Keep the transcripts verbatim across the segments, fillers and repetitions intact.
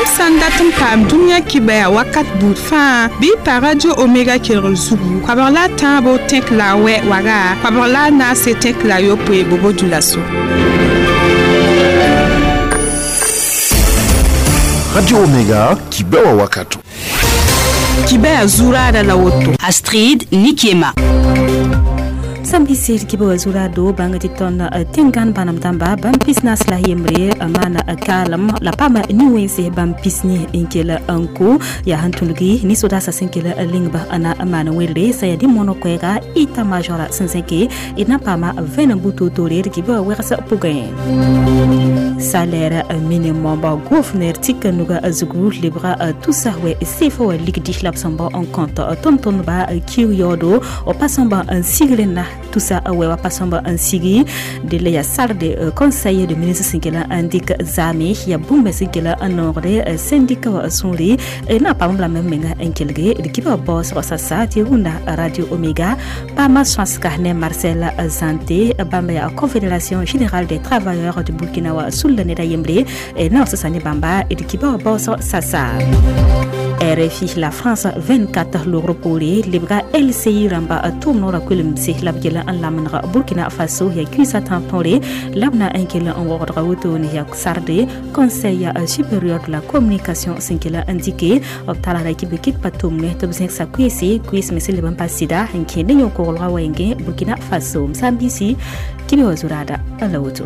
Yãmb sã n dat n paam dũniyã kibaya wakat buud fãa bɩ y pa Radio Omega kelgr zugu koabg la a tãabo tẽk la a wɛ waga koabg la a naase tẽk la a yopoe bobo dulaso. Radio Omega kibewa wakato. Kibaya zurada la woto. Astrid Nikiema. Sambisi kiba zura do banga ti ton tengan banam damba bam pisnas la yemre mana kalam la pama ni wense bam pisni inkela anko ya hantulgi ni soda sa senkela lingba ana mana welle sa ya di mono kwega ita majora sensenke ina pama vena buto tore kiba wersa pugain salaire minimum ba gouverneur tikanuga azugu libra tout ça we sefo ligdi labsamba en compte tonton ba kiyodo o passamba un siglena tout ça ouais wa pasamba en sigi de la salle de conseil de ministre sinkela indique zame ya bumbe sinkela anore syndicat wa sonri na pa la même menga enkelge de kiba boss wa sa ti runda Radio Omega pa ma swanska ne Marcel Zanté bamba ya Confédération générale des travailleurs du Burkina wa sulla ne da yembre na sa ne bamba de kiba boss sasa R F I la France vingt-quatre l'euro pour libra L C I ramba tourno kulim se labgela an lamnra Burkina Faso ya kusa tampore labna enkela en wordra woto ne ya sarde conseil supérieur de la communication sinkela indiqué obtala ra kibe kit patumne tobsen sa kwesi kwis mesele ban pasida enkene nyoko rolwa wenge Burkina Faso msambisi kibe wazurada alawoto.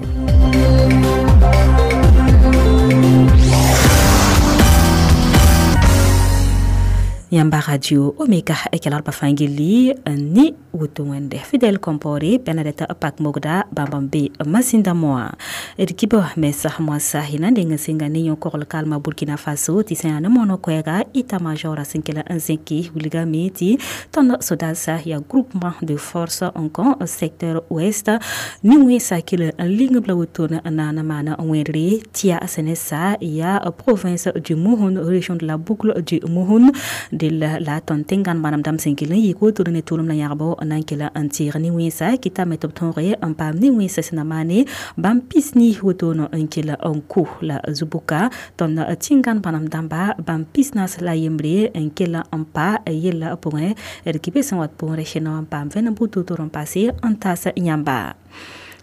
Yamba Radio Omega ekelar bafangili ni wutuwende Fidel Compaoré Bernadette Pak Mogda Bambambe Masinda Moa Erkibo mesa mwasa hina ndenga singa ni yonkor kalma Burkina Faso ti sen na mono kwega ita major sinkela nzinki wuliga miti ton sodasa ya groupement de force encore secteur ouest ni wesa kila linga bla wutuna na na mana nwere tia senesa ya province du Mouhoun région de la boucle du Mouhoun de la la tontengan manam dam sinkila yiko turne tulum na yarbo nankela antir ni wisa kita metop tonre en pam ni wisa sinamane bam pisni wotono nkela onku la zubuka ton tingan banam damba bam pisnas la yembre nkela ampa yela point erkibe san wat pon recheno pam vena butu toron passé antasa nyamba.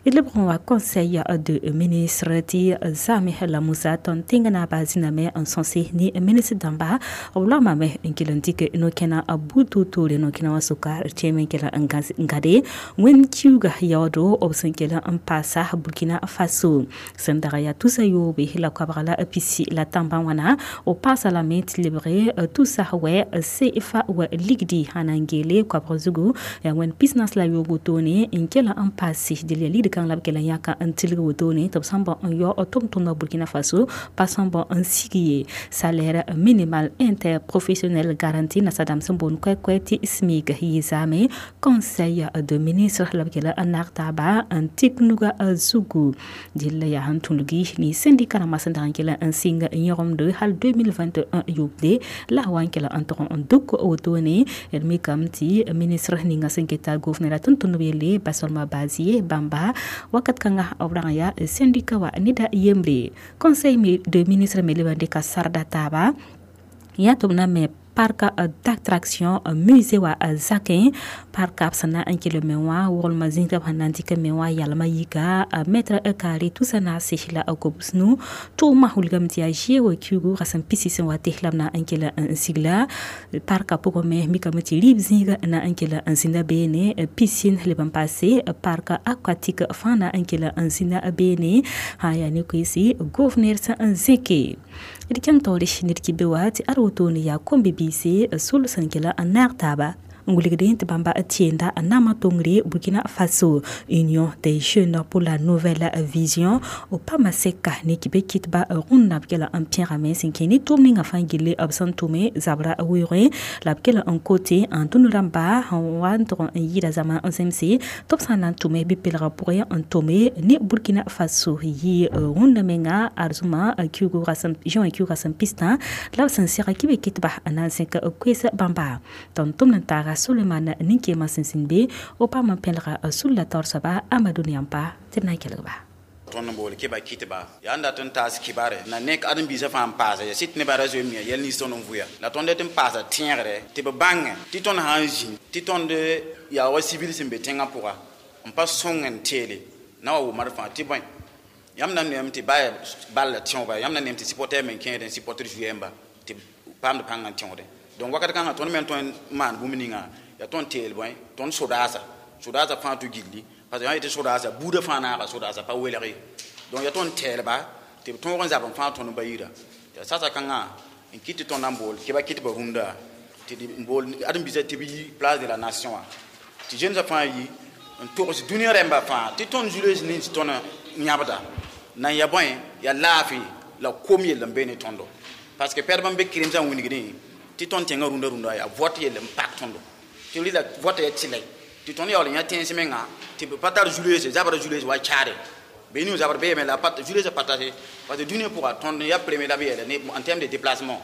Il le conseil de ministre ti Zame la Moussa ton tingana baziname en sensé ni ministre damba wala mame nkilandike no kena abutu tore no kena wasuka cheme kela ngade wen kiuga yawdo obsenkela ampasa Burkina Faso sendara ya tusa yobe la kwabrala pisi la tamba wana o pasa la met libre tout ça we C F A we ligdi hanangele kwabrozugu ya wen business la yogo tone nkela ampasi de li kan lab kela yaka an tilga wotone to samba an yo otom to Burkina Faso passant an sigiye salaire minimal interprofessionnel garanti na sadam sambon kwe kwe ti SMIC yizame conseil de ministre lab kela anartaba an tiknuga zugu dilla ya hantulugi ni syndicat na masandan kela an singa nyorom de hal deux mille vingt et un yobde la wan kela antron an duk wotone ermi kamti ministre ninga sinketa gouverneur tuntunubele basolma bazier bamba wakat kanga obranga ya syndicat wa nida yembre conseil de ministre melebande ka sarda taba ya tobna me parc d'attraction musée wa zakin parc absana ankele mewa wol mazinga hanantika mewa yalma yika mètre carré tout ça na sehla akobusnu to mahulgam tia jewo kugu rasan pisisen wa tehlamna ankele sigla parc poko me mikamati libzinga na ankele ansinda bene piscine le ban passé parc aquatique fana ankele ansinda bene haya ni kwisi gouverneur sa anzeke idikan tori nirki bewati arwotoni ya kombi bise sul sankela anartaba nguligde bamba tienda nama tongre Burkina Faso Union des jeunes pour la nouvelle vision au pamaseka ne kibe kitba runda bkela un pierre ame sinkeni tumni nga fangile absan tume zabra wure la bkela un côté en tunuramba wan tron yida zama en C M C top sanan tume bipelra pour en tome ni Burkina Faso yi runda menga arzuma kyugo rasam Jean kyugo rasam pista la sansira kibe kitba anansenka kwesa bamba ton tumna tara Suleiman Ninkema Sinsinbe o pa ma pelra sulla torsaba Amadou Niampa tena kelba. Tõnd n bool kɩba kɩtba yaa n dat n taas kibare na nek ãdem-biisã fãa n paasa ya sɩd nebã ra zoe n mia yɛl nins tõnd n vʋya la tõnd dat n paasa tẽegre tɩ b bãngẽ tɩ tõnd sã n zĩ tɩ tõnd yaa wa civil sẽn be tẽngã pʋga n pa sõng n teele na wa wʋmd fãa tɩ bõe yãmb na neem tɩ baa bal la tẽoba yãmb na neem tɩ supporter me kẽedẽ supporter yɛmba tɩ paamd pãng n tẽoodẽ donc wakat kãngã tõnd me tõe n maan bũmb ninga yaa tõnd teel bõe tõnd sodaasa sodaasa fãa tɩ gilli parce que yã yetɩ sodaasa buudã fãa naaga sodaasa pa welg ye donc yaa tõnd tɛɛlba tɩ b tõog n zab n fãa tõnd ba yira tɩ sasa kãngã n kɩt tɩ tõnd n bool kɩba kɩtbã rũndã tɩ n bool ãdem-biisã tɩ b yi place de la nation wã tɩ zẽmsã fãa yi n togs dũniyã rẽmbã fãa tɩ tõnd zu-loees nins tõnd yãbda nan ya bõe ya laafɩ la kom yell n be ne tõndo parce que pɛdb n be kremsã wingdẽ tɩ tõnd tẽngã rũndã rũndã yaa vote yell n pak tõndo tɩ rɩla vote ya tɩlɛ tɩ tõnd yaool n yã tẽns menga tɩ b pa tar zu-loeese zabra zu-loees wa chaare be niu zabr beeme la zu-loeesã pa tase parce que dũniyã pʋga tõnd ya premier la b yeele en terme de déplacement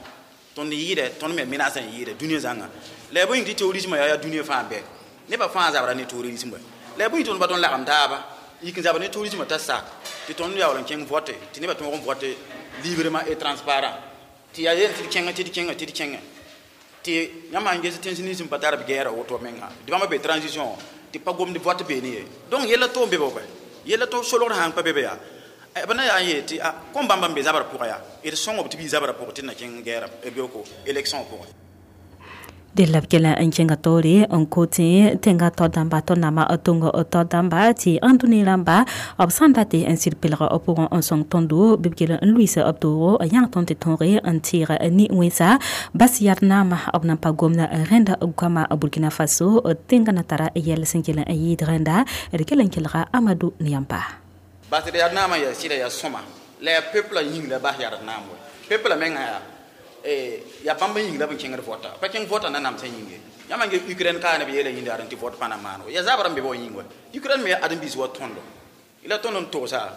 tõnd yɩɩdɛ tõnd me menace n yɩɩdɛ dũniyã zãnga la ya bõe yĩng tɩ terrorisme yaa yaa dũniyã fãa bɛ nebã fãa zabra ne terrorisme la ya bõe tõnd pa tõnd lagem taaba yik n zabr ne terrorisme t'a sak tɩ tõnd yaool n kẽng vote tɩ nebã tõog n vote librement et transparent tɩ yaa yel tɩ d kẽngã tɩ d kẽngã tɩ d kẽngã tɩ yãmb sãn ges tẽns nins n pa tar b gɛɛra woto menga tɩ bãmba be transition tɩ pa gomd vote beene ye donc yella to n be bɛ yella to solgr sãn pa be be yaa b na yaa n yeel tɩ kom bãmba n be zabrã pʋgã yaa d sõng b tɩ b yi zabrã pʋgẽ tɩ d na kẽng gɛɛra beooko élection pʋgẽ de la b kela n kẽnga taoore n kot tẽnga tao dãmba tɩ nama tong tao dãmba tɩ ãndũni rãmba b sã n dat n sɩd pelg b pʋgẽ n sõng tõndo bɩ b kell n luiis b toogo n yãng tõnd tɩ tõoge n tɩɩg ne wẽnsa bas yad naama b nan pa gomda rẽnda goama Burkina Faso tẽngã na tara yɛl sẽn kell n yɩɩd rẽnda d kell n kelga Amadou Niampa bas d yad naamã yaa sɩda yaa sõma la yaa peuple yĩng la bas yad naam we peuple menga yaa ya bãmb yĩng la b kẽngd vota pa kẽng vota na namsã yĩnge yãmb n Ukraine kaa ne b yeela yĩnda ad tɩ vot pa na maan ya zabra n be wa yĩng wa Ukraine me ãdem-biis wa tõndo la tõnd n togsa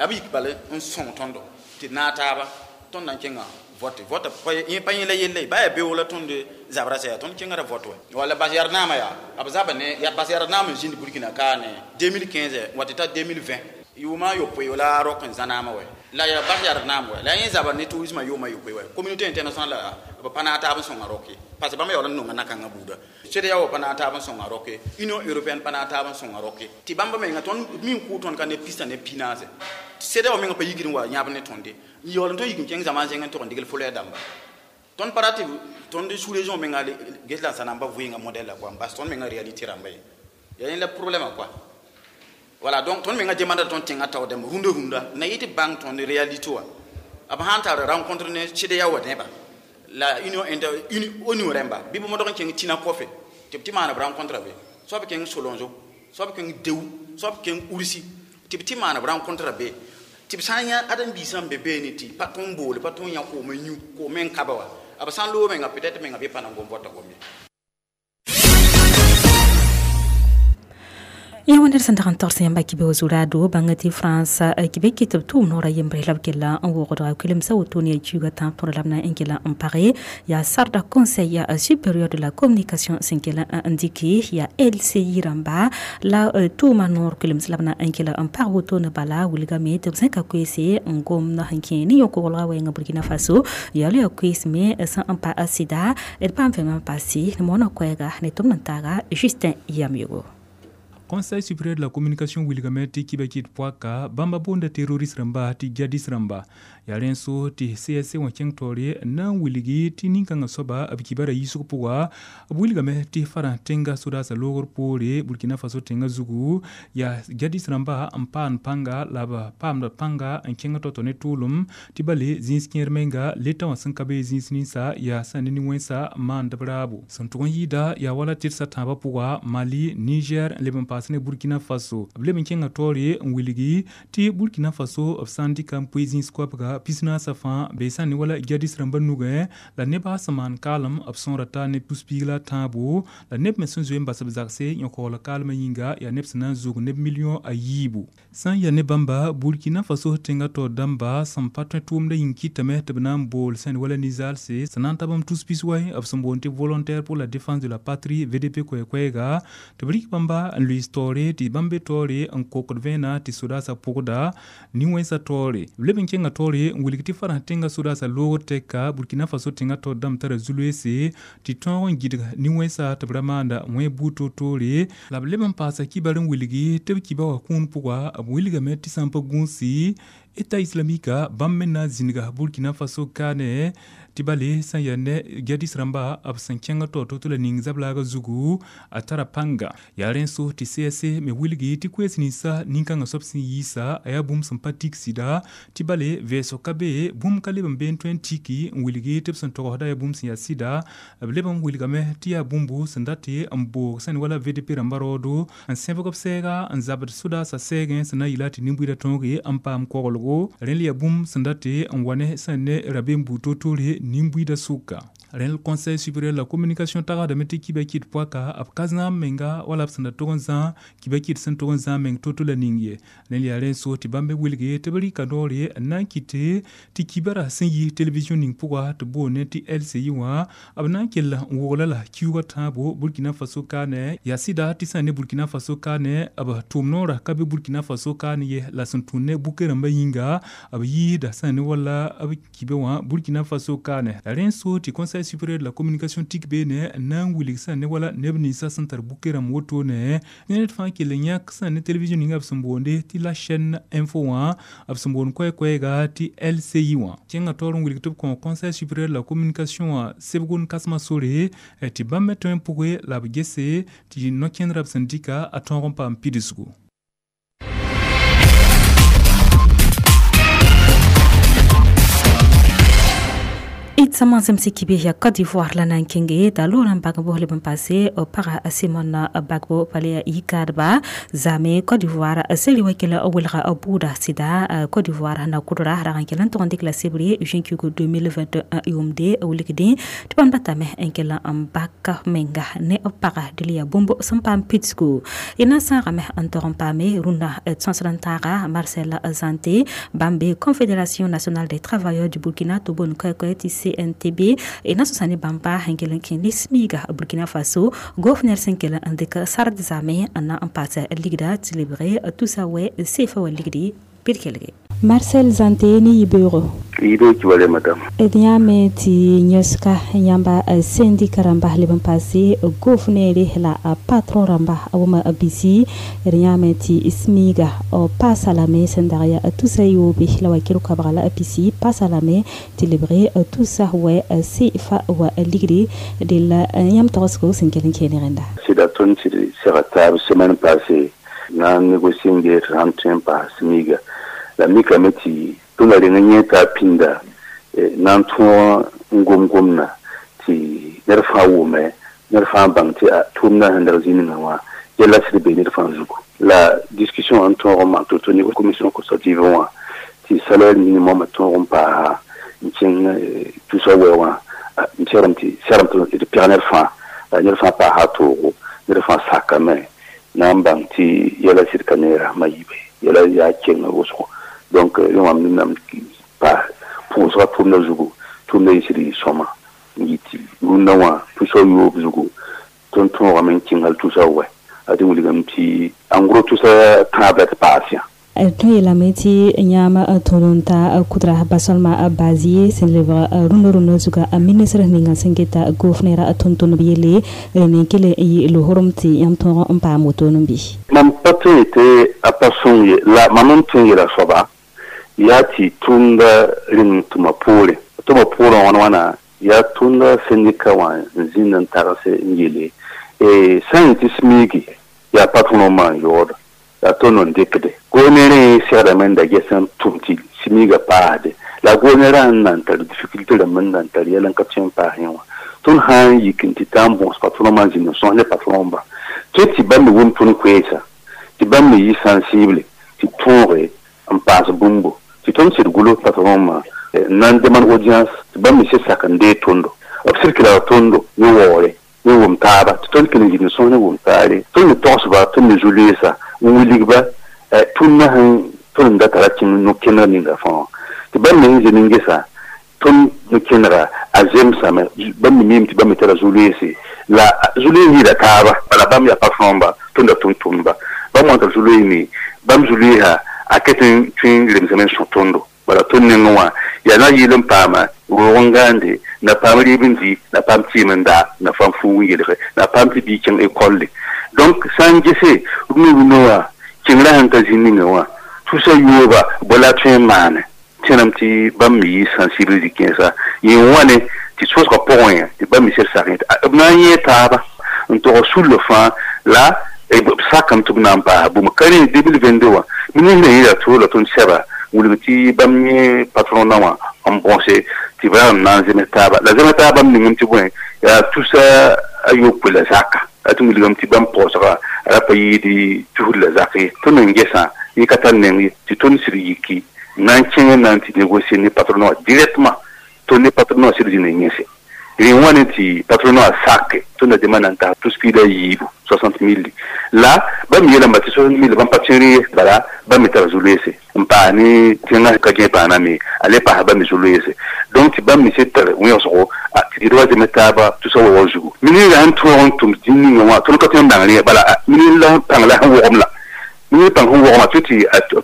b yik bal n sõng tõndo tɩ naag taaba tõnd na n kẽnga vote vota pa yẽ la yelle ba yaa beoog la tõnd zabra sã yaa tõnd kẽngra vote wa wala bas yar naamã yaa b zaba ne ya bas yar naam n zĩnd Burkina kaa ne deux mille quinze wa tɩ ta deux mille vingt yʋʋma yopoe la rok n zãnaamã wɛ la ya bas yar naam wɛ la yẽ zabr ne tourisme yʋʋma yopoe wɛ communauté internationale la b pa naag taab n sõnga roke parce que bãmb yaool n nonga na-kãngã buuda CEDEAO pa naag taab n sõnga roke Union européenne pa naag taab n sõnga roke tɩ bãmb menga tõnd min kʋʋ tõnd ka ne pista ne pinaase CEDEAO menga pa yikd n wa yãb ne tõnde n yaool n tõnd yik n kẽng zãma zẽng n tog n degl folɛɛ dãmba tõnd pa rat tõnd sous-région menga ges la n sã na n pa vɩɩngã modèle la quoi n bas tõnd menga réalité rãmba ye yaa yẽ la problème quoi. Voilà, donc tõnd menga demanda tõnd tẽngã taoodame rũndã rũndã na yɩ tɩ bãng tõnd réalité wã b sãn tar rencontre ne CEDEAO wã neba la union inter ONU rẽmba bɩ b modg n kẽng tĩna kɔfe tɩ b tɩ maan b rencontre be soab kẽng Solonzo soab kẽng Dewu soab kẽng Ursi tɩ b tɩ maan b rencontre be tɩ b sã n yã ãdem-biisã n be beene tɩ pa tõnd boole pa tõnd yã koom n yũ koom n kaba wa b sã n loog menga peut-être menga bɩ pa na n gom vota gom ye. Ya wẽnd sẽn dag n togs yãmba kibe zurado bãnga tɩ France kibe kɩ tɩ b tʋʋm noorã yembre la b kella n wogdga kulemsã woto ne kiuga tãab tõr la b na n kella n page yaa sarda conseil supérieur de la communication sẽn kella n dɩke yaa L C I rãmba la tʋʋma noor kulems la b na n kella n pag woto ne bala wilgame tɩ b zẽka koeese n gomd sẽn kẽ ne yõ-koglga wɛɛngã Burkina Faso yaa la yaa koees me sẽn n pa sɩda d paam vẽm n paase moonã koɛɛga ne tʋmd n taaga Justin Yamyogo. Conseil supérieur de la communication wilgame tɩ kiba kɩt pʋaka bãmba boonda terroriste rãmba tɩ jihadist rãmba yaa rẽn so tɩ C S C wã kẽng taoore na n wilgi tɩ nin-kãngã soaba b kibara yiisg pʋga b wilgame tɩ farã tẽnga sodaasã loogr poore Burkina Faso tẽngã zugu yaa jihadist rãmba n paand pãnga la b paamda pãnga n kẽng tao-tao ne tʋʋlem tɩ bale zĩis kẽer menga leta wã sẽn ka be zĩis ninsa yaa sã ne nin-wẽnsa maand b raabo sẽn tʋg n yɩɩda yaa wala tɩdsa tãabã pʋga Mali Niger n leb n paas ne Burkina Faso b leb n kẽngã taoore n wilgi tɩ Burkina Faso b sã n dɩka n poe zĩis koabga pis-naasã fãa bee sã n ne wala jihadist rãmbã nugẽ la nebã sẽn maan kaalem b sõora taa ne pus-piig la a tãabo la neb me sẽn zoe n bas b zagse yõ-kaool kaalmã yĩnga yaa neb sẽn na n zug neb million a yiibu sã n yaa ne bãmba Burkina Faso tẽngã taoor dãmba sẽn pa tõe tʋʋmdã yĩng kɩtame tɩ b na n bool sã n wala ninzaalse sẽn na n ta bãmb tus pis-wai b sẽn boond tɩ volontaire pour la défense de la patrie V D P koɛ-koɛɛga tɩ b rɩk bãmba n luiis nins taoore tɩ bãmb be taoore n kokd vẽena tɩ sodaasã pʋgda nin-wẽnsã taoore b leb n kẽnga taoore n wilg tɩ farãs tẽngã sodaasã loogr tɛka Burkina Faso tẽngã taoor dãmb tara zu-loeese tɩ tõog n gɩdg nin-wẽnsa tɩ b ra maanda wẽ buud toor-toore la b leb n paasa kibar n wilgi tɩ b kiba wã kũun pʋga b wilgame tɩ sã n pa gũusi État islamique bãmb me na n zĩnga Burkina Faso kaane tɩ bale sẽn yaa ne jihadis rãmba b sẽn kẽng taoor to-to la ning zablaaga zugu a tara pãnga yaa rẽ so tɩ C S C me wilgi tɩ koees ninsã nin-kãngã soab sẽn yiisa a yaa bũmb sẽn pa tik sɩda tɩ bale vɛɛsg ka be bũmb ka leb n bee n tõe n tiki n wilgi tɩ b sẽn togsda yaa bũmb sẽn yaa sɩda b leb n wilgame tɩ yaa bũmbu sẽn dat n boog sẽn wala V D P rãmba raoodo n sẽbg b sɛɛga n zabd sodaasã sɛɛgẽ sẽn na n yɩla tɩ nin-buiidã tõoge n paam koglgo rẽnd yaa bũmb sẽn dat n wa ne sẽn ne rabeem buud to-toore nin-buiidã sʋka rẽnd Conseil supérieur la communication tagsdame tɩ kiba kɩd poaka b ka zãam menga wala b sẽn da tog n zã kiba kɩd sẽn tog n zãam meng to-to la ning ye rẽnd yaa rẽnd so tɩ bãmb me wilge tɩ b rɩka noore n na n kɩte tɩ kibara sẽn yi télévision ning pʋga tɩ boone tɩ L C I wã b na n kell n wogla la kiuugã tãabo Burkina Faso kaane yaa sɩda tɩ sã n ne Burkina Faso kaane b tʋʋm noorã ka be Burkina Faso kaane ye la sẽn tũud ne buke rãmbã yĩnga b yiisda sã n ne wala b kibe wã Burkina Faso kaane la rẽnd so tɩ Conseil supérieur de la communication tik beene n na n wilg sã ne wala neb ninsã sẽn tar buke rãmb wotone ned fãa kell n yãk sã ne télévision ninga b sẽn boonde tɩ la chaîne info wã b sẽn boond koɛ-koɛɛga tɩ L C I wã kẽngã taoor n wilg tɩ b kõ Conseil supérieur de la communication wã sebg n kãsmã sore tɩ bãmb me tõe n pʋge la b gese tɩ no-kẽndrã b sẽn dɩka a tõog n paam pidsgu. Itsama semse kibe ya Côte d'Ivoire la nan kenge da Laurent Gbagbo le passé para Simone Gbagbo pale yikadba zame Côte d'Ivoire seli wakila awilga abuda sida Côte d'Ivoire na kudura ragan kelan to ndik la sebre juin deux mille vingt et un yomde awlikdi tiban batame enkela ambaka menga ne para delia bombo sampam pitsku ina sarame antoron pame runda tsansrantara Marcel Zante Bambe Confédération nationale des travailleurs du Burkina Tobon koy C N T B ina sosani bamba hengelen kin smiga Burkina Faso gouverneur senkela andeka sard zame ana ampasa ligda tilibre tout ça we sefa wa ligdi pirkelge Marcel Zante ni yibero. Yibe kiwale, madame. Ediyame ti nyoska yamba syndicat ramba leban passé gouverneur la patron ramba awuma bisi ediyame ti ismiga o pasalame sendaria tout ça yobe la wakilu kabrala bisi pasalame ti libre tout ça we sefa wa ligdi de la yam tosko senkelen kenirenda. Sɩda tõnd sɩd sega taab semaine passée na n négocier n ges sãn tõe n paas smiga la mikame tɩ tõnda reng n yẽ t'a pĩnda na n tõog n gom-gomdã tɩ ned fãa wʋme ned fãa bãng tɩ tʋʋmdã sẽn dag zĩ-ninga wã yɛla sɩd be ned fãa zugu la discussion n tõog n maan to-to ne commission consultative wã tɩ salaire minimum tõog n paasa n kẽng tusa wɛ wã n serem tɩ serem tɩ d pɛg ned fãa la ned fãa paasa toogo ned fãa sakame na n bãng tɩ yɛla sɩd ka ne rasmã yibe yɛla yaa keng wʋsgo donc rẽ wã nam pa pʋʋsga tʋʋmdã zugu tʋʋmdã yɩ sɩd yɩ sõma n yɩ tɩ rũndã wã tusa yoob zugu tõnd tõogame n kẽng hal tusa wɛ a tɩ wilgame tɩ en gros tusa tãab la tɩ paas yã. Tõe yeelame tɩ yãam tõd n ta kudra basolma bazie sẽn lebg rũndã rũndã zuga ministre ninga sẽn geta gofnera tõnd-tõndb yelle n kell n yɩ lohorem tɩ yãmb tõog n paam woto n bɩ. Mam pa tõe tɩ a pa sõng ye la mam n tõe n yeela soaba yaa tɩ tʋʋmda rẽng tʋma poore tʋma poorẽ wãn wãna yaa tʋʋmda syndicat wã n zĩnd n tagse n yele sã n yetɩ smiigi yaa patron maan yaooda yaa tõnd n dɩkde goone segdame n da ges n tʋm tɩ smiiga paasde la goone rã n nan tar difficulté rãmb n nan tar yɛl n ka tõe n paas yẽ wã tõnd sã n yik n tɩ taa n bõs patron n zĩnd n sõs ne patron ba tõe tɩ bãmb me wʋm tõnd koeesa tɩ bãmb me yɩ sensible tɩ tõoge n paas bũmbo tɩ tõnd sɩd gulo patron ma n na n demande audience tɩ bãmb me sɩd sak n dee tõndo b sɩd kɩ la tõndo ne waoore ne wʋm taaba tɩ tõnd kell n zĩnd sõs ne wʋm taare tõnd me togsba tõnd me zu-loeesa n wilgba tʋmdã sẽn tõnd n da tara kẽng no-kẽneg ninga fãa tɩ bãmb me sẽn zĩnd n gesa tõnd no-kẽnega a zemsame bãmb me miime tɩ bãmb me tara zu-loeese. La zu-loees yɩɩda taaba bala bãmb yaa patron ba tõnd da tʋm-tʋmdba bãmb wãn t'a zu-loees me bãmb zu-loeesa a ket n tõe n remsame n sõ tõndo bala tõnd nengẽ wã yaa na yɩɩl n paama roog n gãande na paam rɩɩb n dɩ na paam tɩɩm n daa na paam fuug n yelge na paam tɩ bii kẽng ekolle donc sã n gese rũnu rũnã wã kẽngrã sẽn ka zĩ ninga wã tusa yooba bõ la tõe n maane tẽnam tɩ bãmb me yɩ sensibilise kẽnsa yẽ wãne tɩ sosgã pʋgẽ yã tɩ bãmb me sed sak b na n yẽ taaba n tog sullã fãa la b sakame tɩ b na n paasa bũmb ka rẽ deux mille vingt-deux wã ministrã yĩra tʋ la tõnd sɛba wilg tɩ bãmb yẽ patron na wã n bõse tɩ b ra n na n zems taaba la zems taaba bãmb ningame tɩ bõe yaa tusa a yopoe la zaka a tɩ wilgame tɩ bãmb paoosga a ra pa yɩɩd tusd la zak ye tõnd n gesã yẽ ka tar neng ye tɩ tõnd sɩd yiki na n kẽng n na n tɩ négocier ne patron wã directement tõnd ne patron wã sɩd zĩnd n yẽse rẽ wãne tɩ patron wã sake tõnd da dema na n tas tus piida yiibu soixante mille la bãmb yeelame tɩ soixante mille bãmb pa tẽr ye bala bãmb me tara zu-loeese n paas ne tẽngã ka gẽ paana me a le paasa bãmb me zu-loeese donc tɩ bãmb me sed tar wẽgsgo tɩ d wa zems taaba tusa waoog zugu ministrã sẽn tõog n tʋm zĩnd ninga wã tõnd ka tõe n bãng rẽ bala ministr la pãng la sẽn wogem la ministr pãng sẽn wogma tɩ tɩ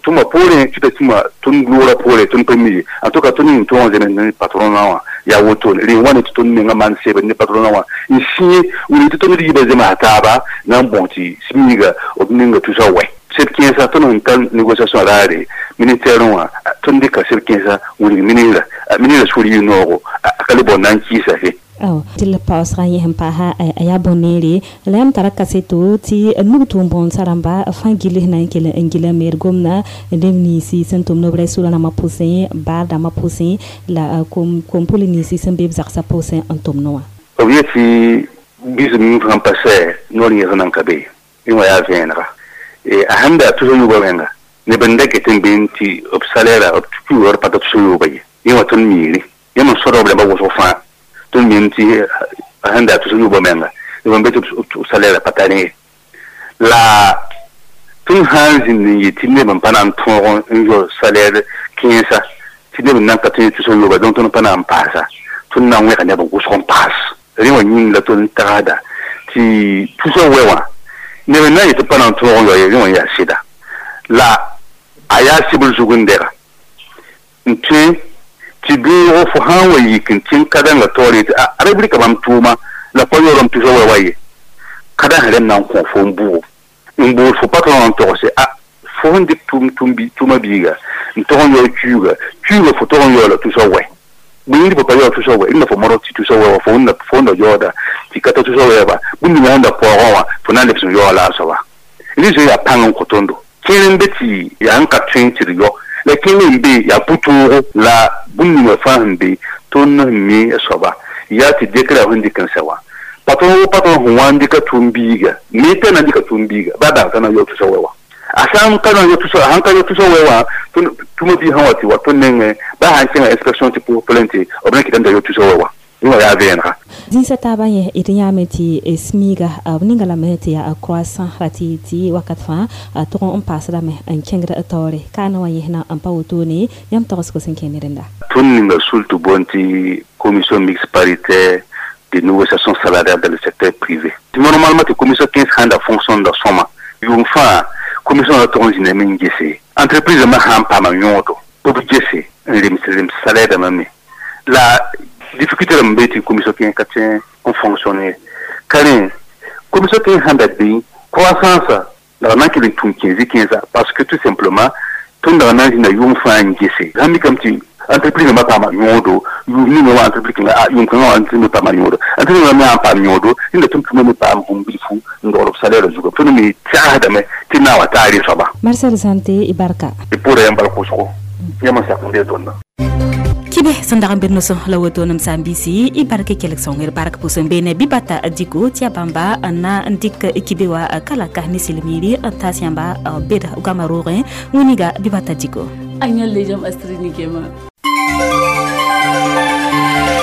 tʋma poorẽ tɩ t'a tũma tõnd loora poore tõnd pa mi ye en tout cas tõnd ning tõog n zems ne patronã wã yaa wotone rẽ wãne tɩ tõnd menga maan sebd ne patronã wã n sĩe wilg tɩ tõnd d yiibã zemsa taaba na n bõs tɩ smiiga b ninga tusa wɛ seb kẽensã tõnd sẽn tar négociation raare ministère wã tõnd dɩka seb kẽensã wilg ministrã ministrã sũur yɩ noogo a ka le bao na n kɩɩsa fe awa tɩ la paoosgã yẽ sẽn paasa a yaa bõn-neere la yãmb tara kaseto tɩ nug tʋʋm bõondsã rãmba fãa gill sẽn na n kell n gila meer gomdã neb ninsi sẽn tʋm nobrɛ sʋra rãmbã pʋsẽ baar dãmbã pʋsẽ la kom-pʋl ninsi sẽn be b zagsã pʋsẽ n tʋmd wã b yetɩ bisem sãn pa sɛ noor yẽs nan ka be yẽ wã yaa vẽenega a sẽn da tusa yoobã wẽnga neb n da get n be tɩ b salaire b tukuor pa ta tusa yooba ye yẽ wã tõnd miiri yẽ me sõdg b rãmbã wʋsg fãa tõnd mim tɩ sẽn da tus yooba menga neb n be tɩ b salaire pa tar ye la tõnd sã n zĩnd n yet tɩ neb n pa na n tõog n yɔ salaire kẽensa tɩ neb n nan ka tõe tusa yooba donc tõnd pa na n paasa tõnd na n wẽga neb n wʋsg n paas rẽ wã yĩng la tõnd tagsda tɩ tusa wɛ wã neb n na n yet tɩ pa na n tõog n yɔ ye rẽ wã yaa sɩda la a yaa sɩbl zug n dɛga n tõe tɩ beoogo fo sã n wa yik n tẽng ka-dãngã taoor yetɩ a ra wilga bãmb tʋʋma la pa yaoolame tusa wɛ wa ye ka-dã sẽn rẽnd na n kõ fo n bugo n bool fo patron n togse a fo sẽn dɩk tʋʋma biiga n tog n yaoog kuuga kuuga fo tog n yaoola tusa wɛ bũmb fo pa yaoog tusa wɛ rẽnda fo modg tɩ tusa wɛ wã fo fo wẽnda yaooda tɩ ka ta tusa wɛɛba bũmb ninga sẽn da paoogã wã fo na n lebs n yaoola a soaba rẽ zoe yaa pãng n kõ tõndo kẽer n be tɩ yaa n ka tõe tɩ d yao la kẽng n be yaa pʋ-toogo la bũmb ninga fãa sẽn be tõnd sẽn mi a soaba yaa tɩ dekra sẽn dɩk n sɛ wã patron wo patron sẽn wa n dɩka tʋʋm biiga me t'a na n dɩka tʋʋm biiga baa bãng t'a na n yao tusa wɛ wã a sã n ka na n yao tusa sãn ka yao tusa wɛ wã tʋma biig sã wa tɩ wa tõnd nengẽ baa sãn kẽnga inspection tɩ pʋs plainte b na kɩtame t'a yao tusa wɛ wã yẽ wã yaa vẽenega zĩnsã taabã yẽ d yãame tɩ smiiga b ninga lame tɩ yaa croissant ra tɩ tɩ wakat fãa tʋg n paasdame n kẽngd taoore kaana wã yẽsna n pa wotone yãmb tagsgo sẽn kẽ ne rẽnda tõnd ninga sul tɩ boond tɩ commission mixte paritaire de négociation salariale dans le secteur privé normalement tɩ commission kẽns sãn da fonction da sõma yʋʋm fãa commission ra tog n zĩndame n gese entreprise rãmbã sã n paama yõodo b gese n rems rems salaire dãmbã me la difficulté rãmb be tɩ commission kẽes ka tõe n fonctionner ka rẽ commission kẽes sãn da be croissance la na n kell n tũm kẽes kẽnsa parce que tout simplement tõnd dag na n zĩnda yʋʋm fãa n gese sãn mikame tɩ entreprise rãmbã paama yõodo yʋʋm ninga wã entreprise kẽnga a yʋʋm kãngã wã entreprise me paama yõodo entreprise rãmbã me sãn paam yõodo rẽnda tõnd tũma me paam bũmb bilfu n dogl b salaire zuga tõnd me tɛgsdame tɩ na wa taa rẽ soaba Marcel Zante i barka d pʋʋra yãmb bal kʋsgo yãmb n sak n bee tõndã kibe sẽn dag n be noso la woto nem sãn-biisi y bark kelg sõnger bark pʋsẽ beene bɩ bata diko tɩ ya bãmba n na n dɩk kibe wa kalaka ne silmiiri n taas yãmba bed goamã roogẽ wĩniga bɩ bata diko a yãlle jam astrini kema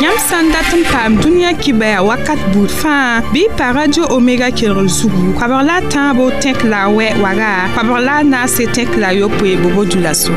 Yãmb sã n dat n paam dũniyã kibaya wakat buud fãa bɩ pa radio omega kelgr zugu koabg la a tãabo tẽk la a wɛ waga koabg la a naase tẽk la a yopoe bobo dulaso.